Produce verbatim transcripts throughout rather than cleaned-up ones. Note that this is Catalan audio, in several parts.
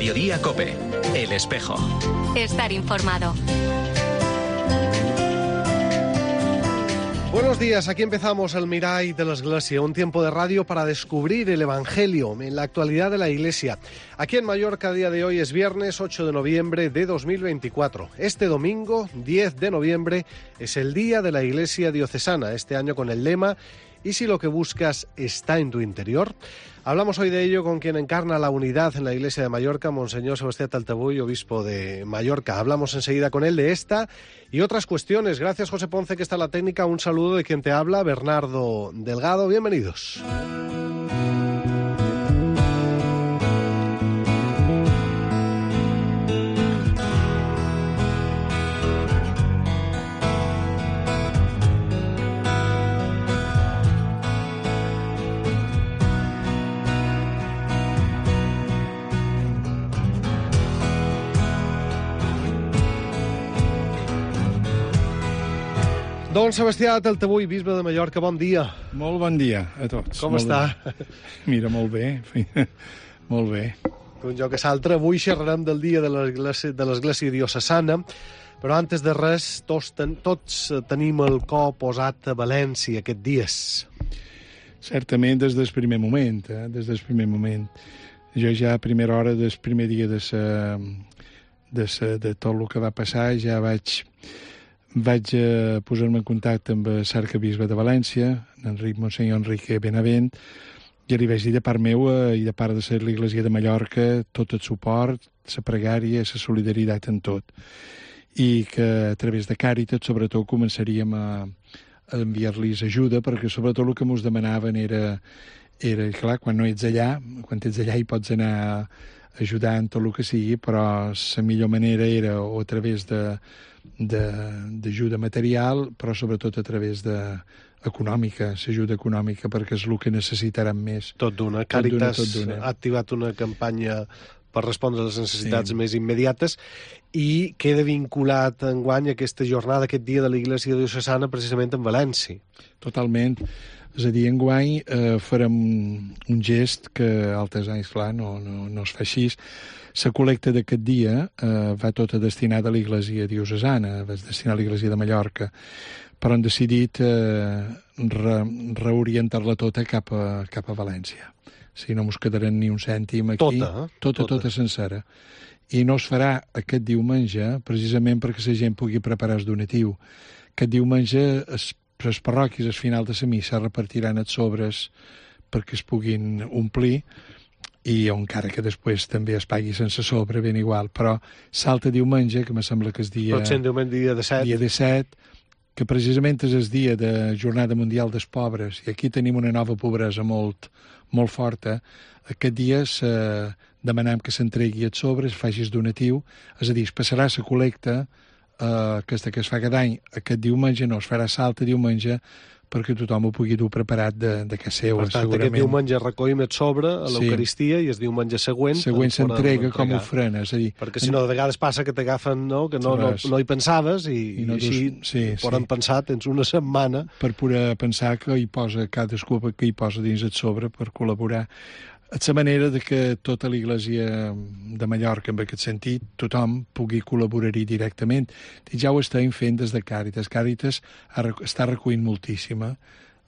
Mediodía COPE. El Espejo. Estar informado. Buenos días, aquí empezamos el Mirai de la Iglesia, un tiempo de radio para descubrir el Evangelio en la actualidad de la Iglesia. Aquí en Mallorca, a día de hoy es viernes ocho de noviembre de dos mil veinticuatro. Este domingo, diez de noviembre, es el Día de la Iglesia Diocesana, este año con el lema «¿Y si lo que buscas está en tu interior?». Hablamos hoy de ello con quien encarna la unidad en la Iglesia de Mallorca, Monseñor Sebastián Taltabull, obispo de Mallorca. Hablamos enseguida con él de esta y otras cuestiones. Gracias, José Ponce, que está en la técnica. Un saludo de quien te habla, Bernardo Delgado. Bienvenidos. Don Sebastià Taltabull, bisbe de Mallorca, bon dia. Molt bon dia a tots. Com molt està? Bé. Mira, molt bé, molt bé. Un joc que s'altre, avui xerrarem del dia de l'Església de l'Església Diocesana, però antes de res, tots, ten, tots tenim el cor posat a València aquests dies. Certament des del primer moment, eh? des del primer moment. Jo ja a primera hora del primer dia de, sa, de, sa, de tot el que va passar ja vaig... Vaig eh, posar-me en contacte amb el arquebisbe de València, Enric Monsenyor Enrique Benavent, i li vaig dir de part meua i de part de l'Església de Mallorca tot el suport, la pregària, la solidaritat en tot. I que a través de Càritas, sobretot, començaríem a, a enviar-los ajuda, perquè sobretot el que ens demanaven era, era, clar, quan no ets allà, quan ets allà hi pots anar ajudant tot el que sigui, però la millor manera era o a través de d'ajuda material, però sobretot a través de econòmica, l'ajuda econòmica, perquè és el que necessitaran més. Tot d'una. Càritas ha activat una campanya per respondre a les necessitats sí. més immediates i queda vinculat enguany aquesta jornada, aquest dia de l'Església Diocesana, precisament en València. Totalment. És a dir, enguany eh, farem un gest que altres anys, clar, no, no, no es fa així. La col·lecta d'aquest dia eh, va tota destinada a l'Església Diocesana, va destinar a l'Església de Mallorca, però han decidit eh, re, reorientar-la tota cap a, cap a València. O sigui, no ens quedarem ni un cèntim aquí. Tota, eh? Tota, tota, tota sencera. I no es farà aquest diumenge precisament perquè la gent pugui preparar el donatiu. Aquest diumenge es les parròquies al final de la missa repartiran els sobres perquè es puguin omplir i encara que després també es pagui sense sobre, ben igual, però salta diumenge, que me sembla que és dia... Pot ser diumenge dia disset. Dia disset, que precisament és el dia de Jornada Mundial dels Pobres, i aquí tenim una nova pobresa molt, molt forta. Aquest dia se demanem que s'entregui els sobres, faci el donatiu, és a dir, es passarà la col·lecta Uh, aquesta que es fa cada any, aquest diumenge no, es farà salta diumenge perquè tothom ho pugui dur preparat de, de casa seva, per tant, segurament. aquest diumenge recollim el sobre a l'Eucaristia sí. i el diumenge següent... Següent s'entrega com ofrena, és a dir... Perquè si no, de vegades passa que t'agafen, no?, que no, no, no hi pensaves i, I, no i així sí, poden sí. pensar, tens una setmana... Per poder pensar que hi posa cadascú que hi posa dins el sobre per col·laborar. És la manera de que tota l'Església de Mallorca, en aquest sentit, tothom pugui col·laborar-hi directament. I ja ho estem fent des de Càritas. Càritas està recollint moltíssima.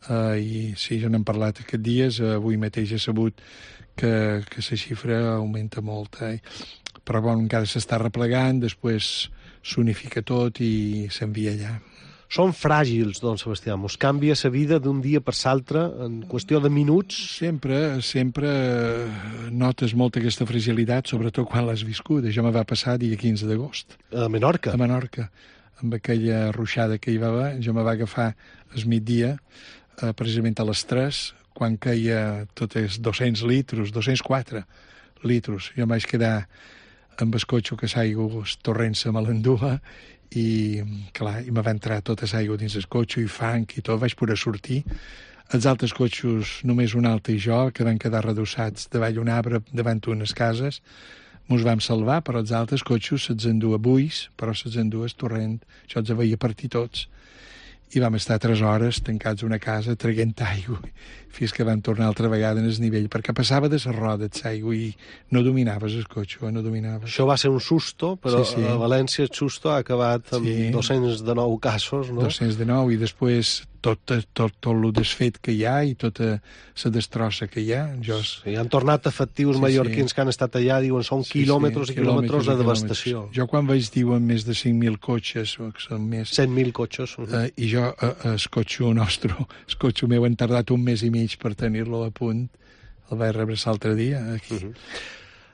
Uh, I sí, ja n'hem parlat aquests dies. Uh, avui mateix he sabut que, que la xifra augmenta molt. Eh? Però bon, encara s'està replegant, després s'unifica tot i s'envia allà. Són fràgils, don Sebastià. Mos canvia la vida d'un dia per l'altre en qüestió de minuts? Sempre, sempre notes molt aquesta fragilitat, sobretot quan l'has viscut. Això me va passar dia quinze d'agost. A Menorca? A Menorca. Amb aquella ruixada que hi va haver, jo me va agafar al migdia, eh, precisament a les tres, quan caia tots els dos-cents litres, dos-cents quatre litres. Jo em vaig quedar amb el cotxe que s'aigua, el torrent se me l'endua, i, clar, i me va entrar tota l'aigua dins el cotxe i fang i tot, vaig poder sortir. Els altres cotxos, només un altre i jo, que van quedar redossats davall un arbre davant unes cases, mos vam salvar, però els altres cotxos se'ls endua buis, però se'ls endua el torrent, això els veia partir tots. i vam estar tres hores tancats a una casa traient aigua fins que vam tornar altra vegada en el nivell, perquè passava de les rodes l'aigua i no dominaves el cotxe, no dominaves. Això va ser un susto, però sí, sí. A València el susto ha acabat amb sí. dos-cents dinou casos, no? dos-cents dinou, i després tot, tot, tot, tot el desfet que hi ha i tota la destrossa que hi ha. Jo... Sí, han tornat efectius sí, mallorquins sí. que han estat allà, diuen, són sí, quilòmetres sí, i quilòmetres de devastació. Jo quan vaig diuen més de cinc mil cotxes, o que són més... cent mil cotxes. Uh -huh. eh, I jo, eh, el cotxe nostre, el cotxe meu, han tardat un mes i mig per tenir-lo a punt. El vaig rebre l'altre dia, aquí. Uh -huh.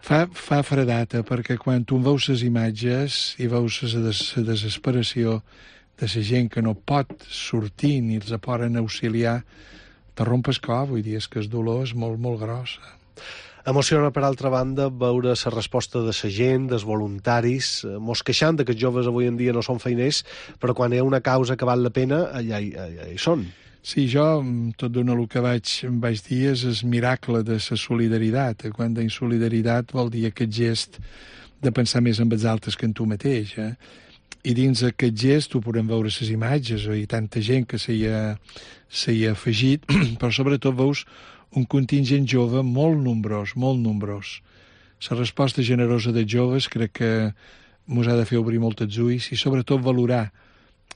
Fa, fa fredata, perquè quan tu veus les imatges i veus la des, desesperació de la gent que no pot sortir ni els poden auxiliar, te rompes cor, vull dir, és que el dolor és molt, molt gros. Emociona, per altra banda, veure la resposta de la gent, dels voluntaris, mos queixant que els joves avui en dia no són feiners, però quan hi ha una causa que val la pena, allà hi, allà hi són. Sí, jo, tot d'una el que vaig, vaig dir és el miracle de la solidaritat. Quan dic solidaritat vol dir aquest gest de pensar més en els altres que en tu mateix. Eh? I dins aquest gest ho podem veure les imatges, i tanta gent que s'hi ha, s'hi ha afegit, però sobretot veus un contingent jove molt nombrós, molt nombrós. La resposta generosa dels joves crec que ens ha de fer obrir molt els ulls i sobretot valorar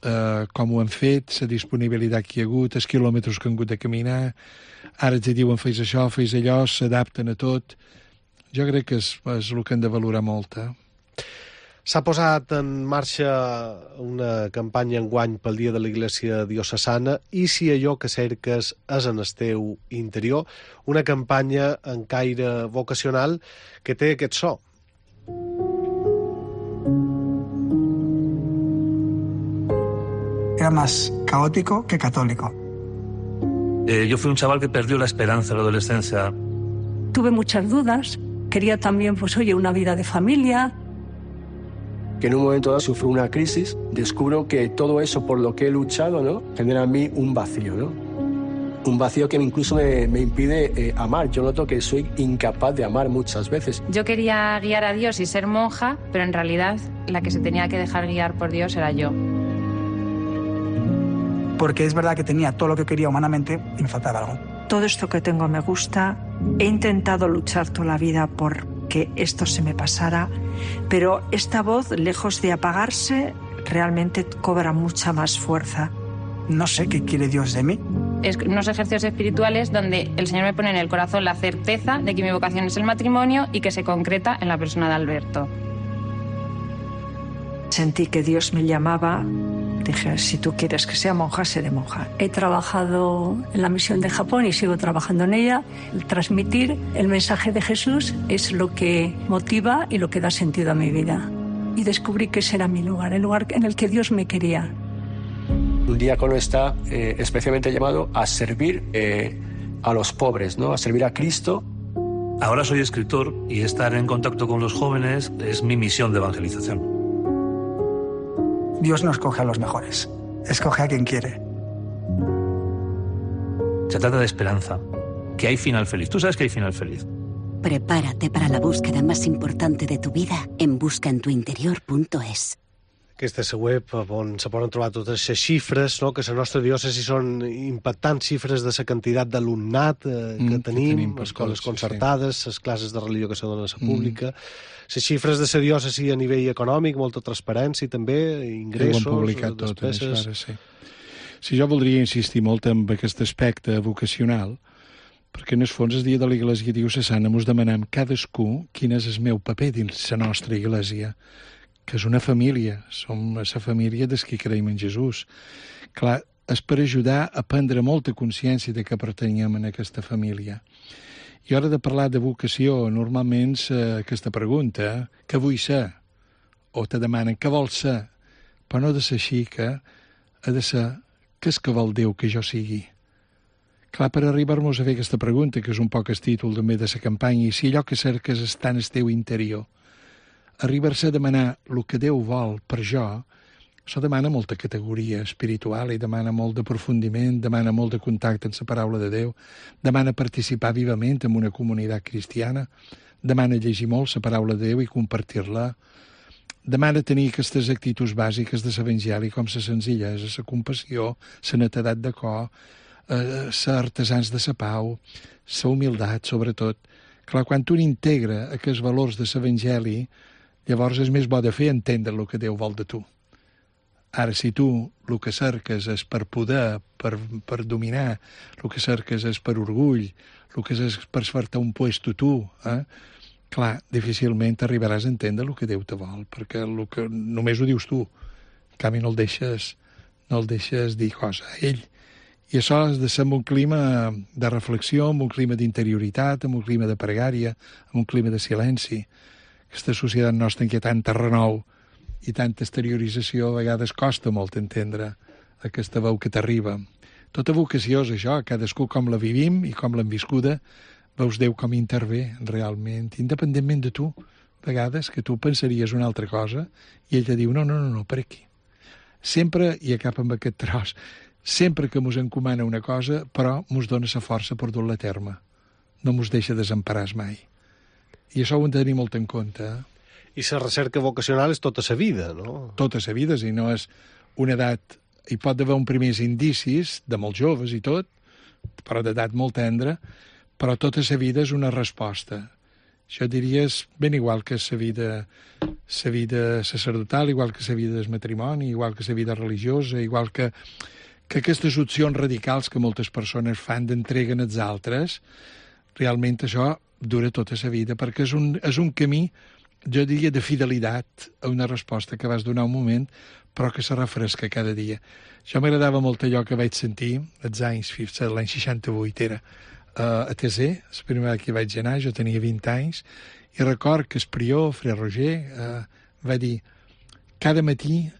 Uh, com ho han fet, la disponibilitat que hi ha hagut, els quilòmetres que han hagut de caminar, ara ens diuen fes això, fes allò, s'adapten a tot. Jo crec que és, és el que hem de valorar molt. Eh? S'ha posat en marxa una campanya enguany pel Dia de la Iglésia Diocesana, i si allò que cerques és en el teu interior, una campanya en caire vocacional que té aquest so. Era más caótico que católico. Eh, yo fui un chaval que perdió la esperanza en la adolescencia. Tuve muchas dudas, quería también, pues oye, una vida de familia. Que en un momento dado sufro una crisis, descubro que todo eso por lo que he luchado, ¿no?, genera en mí un vacío, ¿no? Un vacío que incluso me, me impide eh, amar. Yo noto que soy incapaz de amar muchas veces. Yo quería guiar a Dios y ser monja, pero en realidad la que se tenía que dejar guiar por Dios era yo. Porque es verdad que tenía todo lo que quería humanamente y me faltaba algo. Todo esto que tengo me gusta. He intentado luchar toda la vida por que esto se me pasara, pero esta voz, lejos de apagarse, realmente cobra mucha más fuerza. No sé qué quiere Dios de mí. Es unos ejercicios espirituales donde el Señor me pone en el corazón la certeza de que mi vocación es el matrimonio y que se concreta en la persona de Alberto. Sentí que Dios me llamaba. Dije, si tú quieres que sea monja, seré monja. He trabajado en la misión de Japón y sigo trabajando en ella. El transmitir el mensaje de Jesús es lo que motiva y lo que da sentido a mi vida. Y descubrí que ese era mi lugar, el lugar en el que Dios me quería. Un diácono está eh, especialmente llamado a servir eh, a los pobres, ¿no?, a servir a Cristo. Ahora soy escritor y estar en contacto con los jóvenes es mi misión de evangelización. Dios no escoge a los mejores, escoge a quien quiere. Se trata de esperanza, que hay final feliz. Tú sabes que hay final feliz. Prepárate para la búsqueda más importante de tu vida en busca en tu interior punto es. Aquesta és la web on se poden trobar totes les xifres, no?, que la nostra diòcesi són impactants xifres de la quantitat d'alumnat eh, que, mm, tenim, que tenim, escoles concertades, les sí. classes de religió que se donen a la pública, mm. les xifres de la diòcesi a nivell econòmic, molta transparència també, ingressos, ho han publicat despeses... Tot, sí. Sí, jo voldria insistir molt en aquest aspecte vocacional, perquè en el fons el dia de la Iglésia Diocesana ens demanem cadascú quin és el meu paper dins la nostra Iglésia, que és una família, som la família dels que creiem en Jesús. Clar, és per ajudar a prendre molta consciència de que pertanyem a aquesta família. I a l'hora de parlar de vocació, normalment eh, aquesta pregunta, què vull ser? O te demanen què vols ser? Però no ha de ser així, que ha de ser què és que vol Déu que jo sigui? Clar, per arribar-nos a fer aquesta pregunta, que és un poc el títol també de la campanya, i si allò que cerques està en el teu interior, arribar-se a demanar el que Déu vol per jo, això demana molta categoria espiritual i demana molt d'aprofundiment, demana molt de contacte amb la paraula de Déu, demana participar vivament en una comunitat cristiana, demana llegir molt la paraula de Déu i compartir-la, demana tenir aquestes actituds bàsiques de l'Evangeli, com la senzillesa, la compassió, la netedat de cor, eh, ser artesans de la pau, la humilitat, sobretot. Clar, quan tu integra aquests valors de l'Evangeli, llavors és més bo de fer entendre el que Déu vol de tu. Ara, si tu el que cerques és per poder, per, per dominar, el que cerques és per orgull, el que és per fer-te un puesto tu, eh? clar, difícilment arribaràs a entendre el que Déu te vol, perquè el que només ho dius tu, en canvi no el deixes, no el deixes dir cosa a ell. I això has de ser en un clima de reflexió, en un clima d'interioritat, en un clima de pregària, en un clima de silenci. Aquesta societat nostra en què tanta renou i tanta exteriorització a vegades costa molt entendre aquesta veu que t'arriba. Tota vocació és això, cadascú com la vivim i com l'hem viscuda, veus Déu com intervé realment, independentment de tu. A vegades que tu pensaries una altra cosa i ell te diu, no, no, no, no, per aquí. Sempre, i acaba amb aquest tros, sempre que mos encomana una cosa, però mos dona la força per dur-la a terme. No mos deixa desemparar mai. I això ho hem de tenir molt en compte. Eh? I la recerca vocacional és tota la vida, no? Tota la vida, si no és una edat... Hi pot haver un primers indicis, de molt joves i tot, però d'edat molt tendra, però tota la vida és una resposta. Això diries ben igual que la vida, la vida sacerdotal, igual que la vida del matrimoni, igual que la vida religiosa, igual que, que aquestes opcions radicals que moltes persones fan d'entreguen als altres, realment això dura tota la vida, perquè és un, és un camí, jo diria, de fidelitat a una resposta que vas donar un moment, però que se refresca cada dia. Això m'agradava molt allò que vaig sentir als anys, l'any seixanta-vuit era, a T C, la primera vegada que vaig anar, jo tenia vint anys, i record que el prior, Fre Roger, eh, va dir, cada matí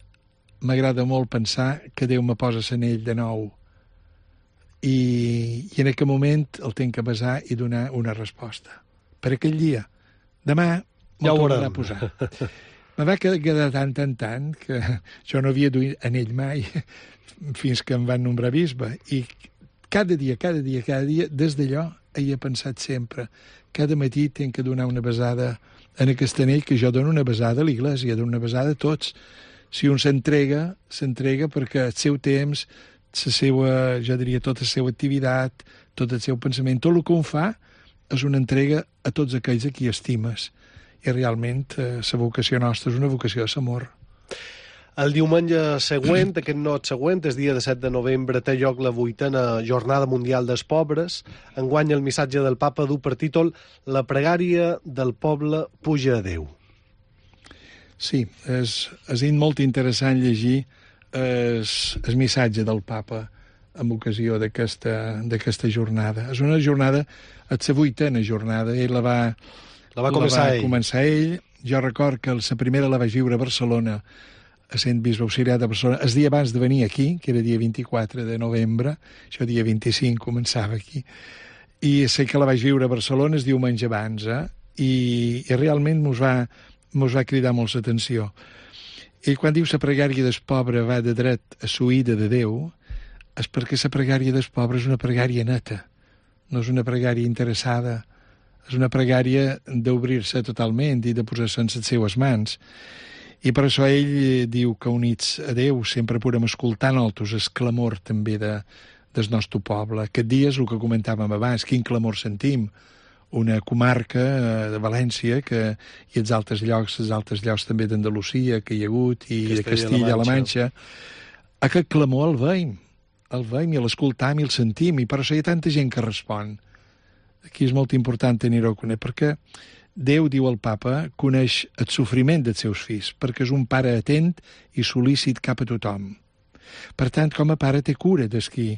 m'agrada molt pensar que Déu me posa l'anell de nou, i, i en aquell moment el tinc que basar i donar una resposta. Per aquell dia. Demà m'ho tornarà a posar. Me va quedar tant, tant, tant, que jo no havia duit anell mai, fins que em van nombrar bisbe, i cada dia, cada dia, cada dia, des d'allò he pensat sempre, cada matí tinc que donar una besada en aquest anell, que jo dono una besada a l'Iglésia, dono una besada a tots. Si un s'entrega, s'entrega perquè el seu temps, la seva, jo diria, tota la seva activitat, tot el seu pensament, tot el que un fa és una entrega a tots aquells a qui estimes. I realment eh, la vocació nostra és una vocació de l'amor. El diumenge següent, aquest not següent, el dia disset de novembre, té lloc la vuitena Jornada Mundial dels Pobres. Enguany el missatge del papa du per títol La pregària del poble puja a Déu. Sí, és, és molt interessant llegir el, el missatge del papa en ocasió d'aquesta jornada. És una jornada, és la vuitena jornada, ell la va... La va començar, la va ell. començar ell. Jo record que la primera la vaig viure a Barcelona, a sent bisbe auxiliar de Barcelona, el dia abans de venir aquí, que era dia vint-i-quatre de novembre, això dia vint-i-cinc començava aquí, i sé que la vaig viure a Barcelona el diumenge abans, eh? I, i realment mos va, mos va cridar molt l'atenció. I quan diu la pregària del pobre va de dret a l'oïda de Déu, és perquè la pregària del pobre és una pregària neta, no és una pregària interessada, és una pregària d'obrir-se totalment i de posar-se en les seues mans. I per això ell diu que units a Déu sempre podem escoltar nosaltres el clamor també de, del nostre poble. Aquest dia és el que comentàvem abans, quin clamor sentim. Una comarca de València que, i els altres llocs, els altres llocs també d'Andalusia que hi ha hagut i Castella, de Castilla-La Manxa. Aquest clamor el veiem, el veiem i l'escoltam i el sentim, i per això hi ha tanta gent que respon. Aquí és molt important tenir-ho a conèixer, perquè Déu, diu el papa, coneix el sofriment dels seus fills, perquè és un pare atent i sol·lícit cap a tothom. Per tant, com a pare té cura dels qui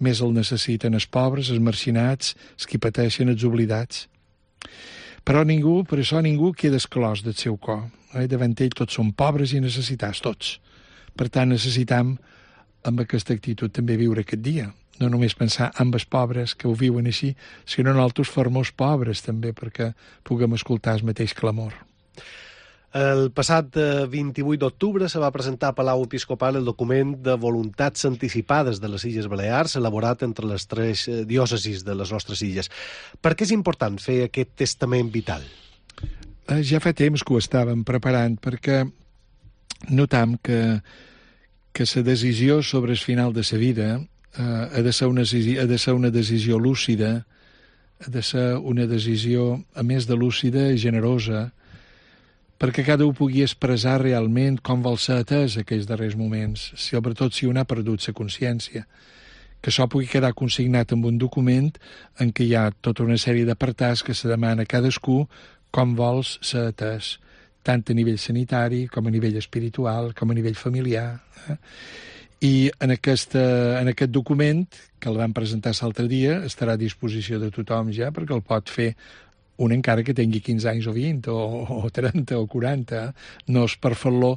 més el necessiten, els pobres, els marginats, els qui pateixen, els oblidats. Però ningú, per això ningú queda exclòs del seu cor. Eh? Davant ell tots són pobres i necessitats, tots. Per tant, necessitam, amb aquesta actitud, també viure aquest dia. No només pensar en els pobres que ho viuen així, sinó nosaltres formos pobres també, perquè puguem escoltar el mateix clamor. El passat vint-i-vuit d'octubre se va presentar a Palau Episcopal el document de voluntats anticipades de les Illes Balears, elaborat entre les tres diòcesis de les nostres illes. Per què és important fer aquest testament vital? Ja fa temps que ho estàvem preparant, perquè notam que, que la decisió sobre el final de la vida eh, ha, de ser una, ha de ser una decisió lúcida, ha de ser una decisió, a més de lúcida, generosa, perquè cada un pugui expressar realment com vol ser atès aquells darrers moments, sobretot si un ha perdut la consciència, que això pugui quedar consignat en un document en què hi ha tota una sèrie d'apartats que se demana a cadascú com vols ser atès, tant a nivell sanitari com a nivell espiritual, com a nivell familiar. Eh? I en, aquesta, en aquest document, que el vam presentar l'altre dia, estarà a disposició de tothom ja, perquè el pot fer un encara que tingui quinze anys o vint, o, o trenta o quaranta. No és per fer-lo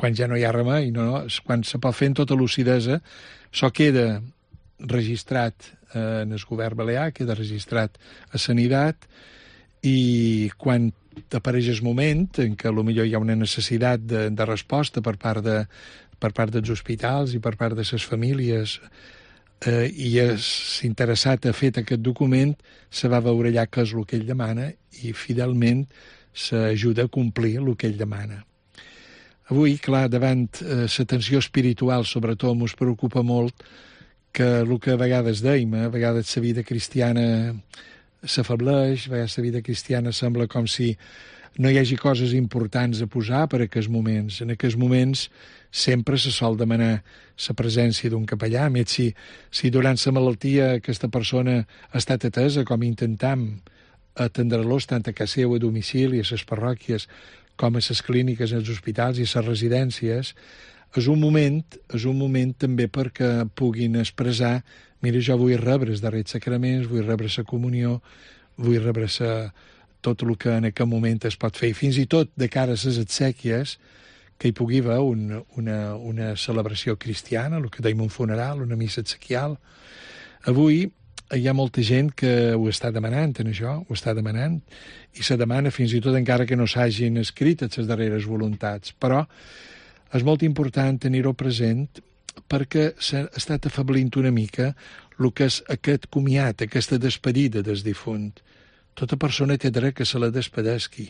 quan ja no hi ha remei, no, no, és quan se pot fer en tota lucidesa. Això queda registrat eh, en el govern balear, queda registrat a Sanitat, i quan apareix el moment en què potser hi ha una necessitat de, de resposta per part, de, per part dels hospitals i per part de les famílies, eh, i l'interessat ha fet aquest document, se va veure allà què és el que ell demana i fidelment s'ajuda a complir el que ell demana. Avui, clar, davant eh, la tensió espiritual, sobretot, ens preocupa molt que el que a vegades dèiem, eh, a vegades la vida cristiana s'afableix, a vegades la vida cristiana sembla com si no hi hagi coses importants a posar per a aquests moments. En aquests moments sempre se sol demanar la presència d'un capellà, a més si, si durant la malaltia aquesta persona ha estat atesa, com intentam atendre-los tant a casa seu, a domicili, a les parròquies, com a les clíniques, als hospitals i a les residències, és un moment, és un moment també perquè puguin expressar: mira, jo vull rebre els darrers sacraments, vull rebre la comunió, vull rebre sa, tot el que en aquest moment es pot fer. I fins i tot de cara a les exèquies, que hi pugui haver un, una, una celebració cristiana, el que dèiem un funeral, una missa exequial. Avui hi ha molta gent que ho està demanant, en això, ho està demanant, i se demana fins i tot encara que no s'hagin escrit les darreres voluntats. Però és molt important tenir-ho present perquè s'ha estat afablint una mica el que és aquest comiat, aquesta despedida del difunt. Tota persona té dret que se la despedesqui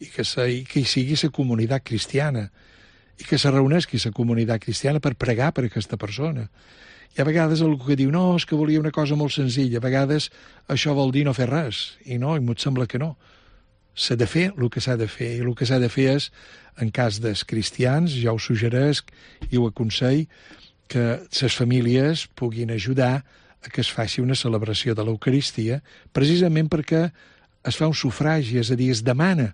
i que, se, i que hi sigui la comunitat cristiana i que se reuneixi la comunitat cristiana per pregar per aquesta persona. I a vegades algú que diu: no, és que volia una cosa molt senzilla. A vegades això vol dir no fer res, i no, i m'ho sembla que no. S'ha de fer el que s'ha de fer, i el que s'ha de fer és, en cas dels cristians, jo ho suggeresc i ho aconsell, que les famílies puguin ajudar a que es faci una celebració de l'Eucaristia, precisament perquè es fa un sufragi, és a dir, es demana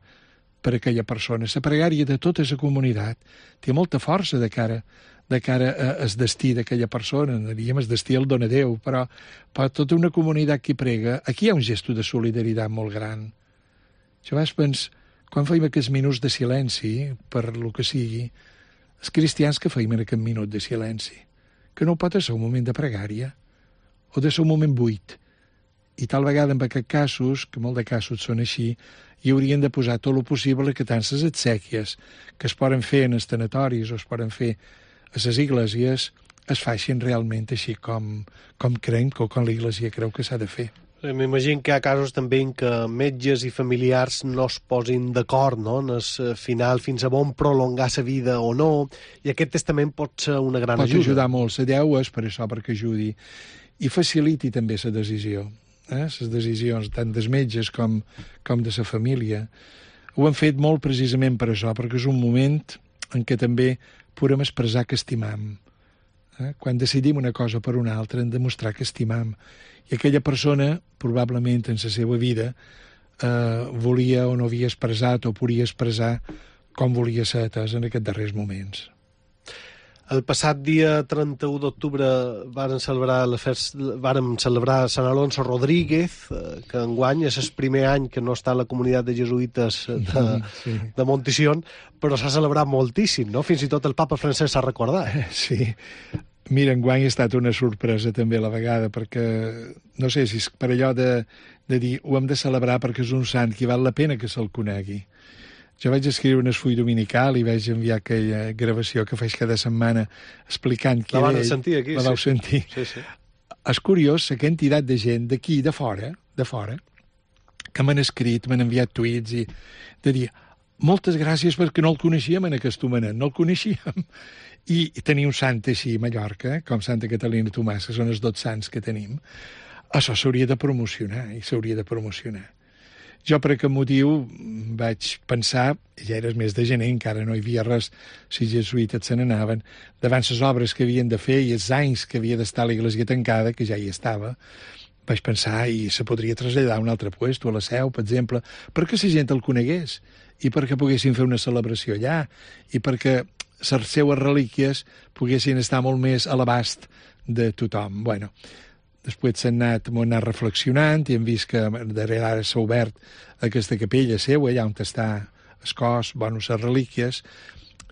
per a aquella persona. La pregària de tota la comunitat té molta força de cara, de cara al destí d'aquella persona. Diríem, el destí el dona Déu, però per tota una comunitat que prega, aquí hi ha un gest de solidaritat molt gran. Jo a vegades penso, quan feim aquests minuts de silenci, per lo que sigui, els cristians que feim en aquest minut de silenci, que no pot ser un moment de pregària, o de ser un moment buit. I tal vegada en aquests casos, que molt de casos són així, hi haurien de posar tot el possible que tant les exèquies que es poden fer en els tanatoris o es poden fer a les esglésies es facin realment així com, com creiem, com l'Església creu que s'ha de fer. M'imagino que hi ha casos també en què metges i familiars no es posin d'acord, no?, en el final, fins a on prolongar la vida o no, i aquest testament pot ser una gran pot ajuda. Pot ajudar molt. La Déu és per això, perquè ajudi. I faciliti també la decisió. Eh? Les decisions tant dels metges com, com de la família. Ho hem fet molt precisament per això, perquè és un moment en què també podem expressar que estimam. Eh? Quan decidim una cosa per una altra, hem de mostrar que estimam. I aquella persona, probablement en la seva vida, eh, volia o no havia expressat o podia expressar com volia ser atès en aquests darrers moments. El passat dia trenta-u d'octubre vàrem celebrar, vàrem celebrar Sant Alonso Rodríguez, que enguany és el primer any que no està a la comunitat de jesuïtes de, sí. de Montisión, però s'ha celebrat moltíssim, no? Fins i tot el papa francès s'ha recordat. Sí. Mira, enguany ha estat una sorpresa també a la vegada, perquè no sé si és per allò de, de dir ho hem de celebrar perquè és un sant que val la pena que se'l conegui. Jo vaig escriure un esfull dominical i vaig enviar aquella gravació que faig cada setmana explicant qui era ell. La van sentir aquí. La vau sí. sentir. Sí, sí. És curiós la quantitat de gent d'aquí, de fora, de fora, que m'han escrit, m'han enviat tuits i de dir, moltes gràcies perquè no el coneixíem en aquest homenet, no el coneixíem. I, i tenir un sant així a Mallorca, com Santa Catalina Tomàs, que són els dos sants que tenim, això s'hauria de promocionar, i s'hauria de promocionar. Jo per aquest motiu vaig pensar, ja era el mes de gener, encara no hi havia res, si jesuïtes se n'anaven, davant les obres que havien de fer i els anys que havia d'estar l'església tancada, que ja hi estava, vaig pensar i se podria traslladar a un altre puesto, a la Seu, per exemple, perquè la gent el conegués i perquè poguessin fer una celebració allà i perquè les seues relíquies poguessin estar molt més a l'abast de tothom. Bueno, després s'han anat, m'ho han anat reflexionant i hem vist que darrere ara s'ha obert aquesta capella seva, allà on està el cos, bueno, les relíquies,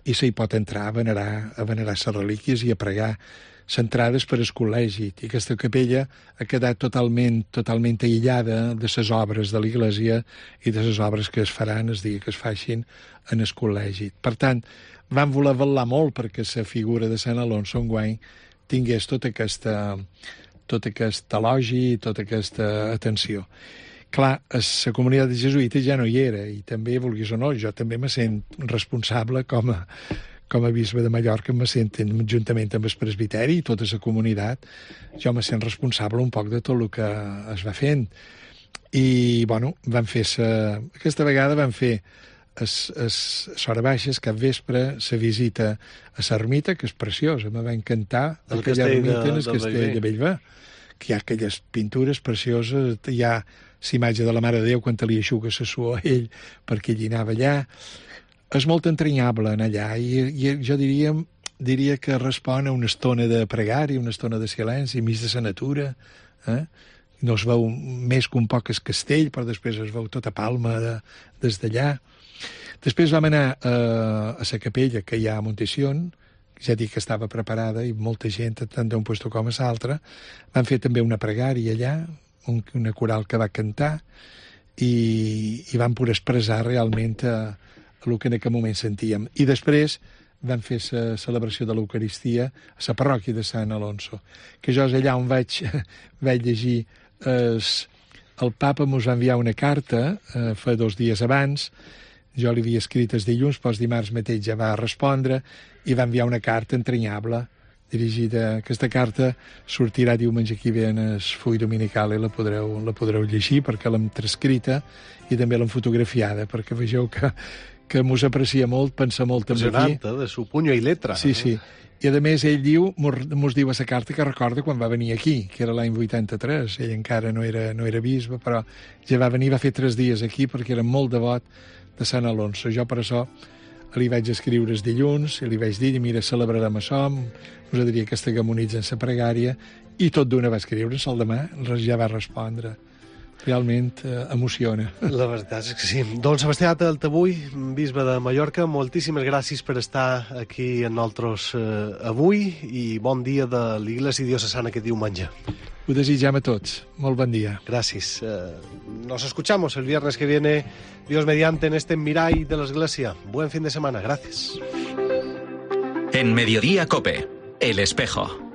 i s'hi pot entrar a venerar, a venerar les relíquies i a pregar centrades per al col·legi. I aquesta capella ha quedat totalment, totalment aïllada de les obres de l'església i de les obres que es faran el dia que es facin en el col·legi. Per tant, van voler vetllar molt perquè la figura de Sant Alonso enguany tingués tota aquesta, tot aquest elogi i tota aquesta atenció. Clar, la comunitat de jesuïtes ja no hi era i també, vulguis o no, jo també me sent responsable com a, com a bisbe de Mallorca, me sent, juntament amb el presbiteri i tota la comunitat, jo me sent responsable un poc de tot el que es va fent. I, bueno, van fer sa... aquesta vegada van fer es, es, a hora baixes, cap vespre, la visita a l'ermita, que és preciosa, me va encantar el aquella ermita de, en el castell de Bellver, que hi ha aquelles pintures precioses, hi ha l'imatge de la Mare de Déu quan li aixuga la suor a ell perquè ell hi anava allà. És molt entranyable anar allà i, i jo diria, diria que respon a una estona de pregària, una estona de silenci, mig de la natura. Eh? No es veu més que un poc el castell, però després es veu tota Palma de, des d'allà. Després vam anar eh, a la capella que hi ha a Montesión, ja dic que estava preparada i molta gent, tant d'un lloc com a l'altre. Van fer també una pregària allà, un, una coral que va cantar i, i van poder expressar realment a, a el que en aquell moment sentíem. I després van fer la celebració de l'Eucaristia a la parròquia de Sant Alonso, que jo és allà on vaig, vaig llegir es, el papa mos va enviar una carta eh, fa dos dies abans. Jo li havia escrit els dilluns, però els dimarts mateix ja va respondre i va enviar una carta entranyable dirigida. Aquesta carta sortirà diumenge que ve en el full dominical i la podreu, la podreu llegir perquè l'hem transcrita i també l'hem fotografiada perquè vegeu que, que mos aprecia molt, pensa molt també aquí. Eh? De su puño i letra. Sí, sí. I a més ell diu, mos, mos diu a la carta que recorda quan va venir aquí, que era l'any vuitanta-tres. Ell encara no era, no era bisbe, però ja va venir, va fer tres dies aquí perquè era molt devot de Sant Alonso. Jo per això li vaig escriure els dilluns i li vaig dir, mira, celebrarem això, us diria que esteghamonitzen la pregària, i tot d'una va escriure, el demà ja va respondre. Realment eh, emociona. La veritat és que sí. Don Sebastià Taltabull, bisbe de Mallorca, moltíssimes gràcies per estar aquí amb nosaltres eh, avui i bon dia de l'Iglésia Diocesana aquest diumenge. Ho desitjam a tots. Molt bon día. Gracias. Eh, nos escuchamos el viernes que viene, Dios mediante, en este Mirai de la Iglesia. Buen fin de semana. Gracias. En Mediodía COPE, El Espejo.